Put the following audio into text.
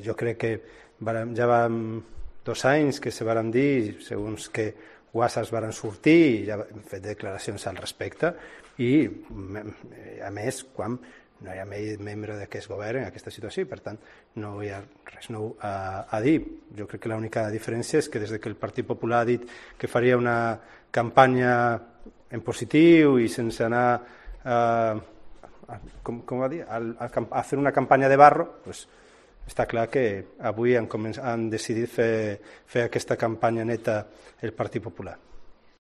Jo crec que ja vam 2 anys que se varen dir, segons que whatsapps varen sortir i ja hem fet declaracions al respecte i a més quan no hi ha membre d'aquest govern en aquesta situació i per tant no hi ha res nou a dir. Jo crec que l'única diferència és que des que el Partit Popular ha dit que faria una campanya en positiu i sense anar com va dir, a fer una campanya de barro, doncs està clar que avui han decidit fer aquesta campanya neta el Partit Popular.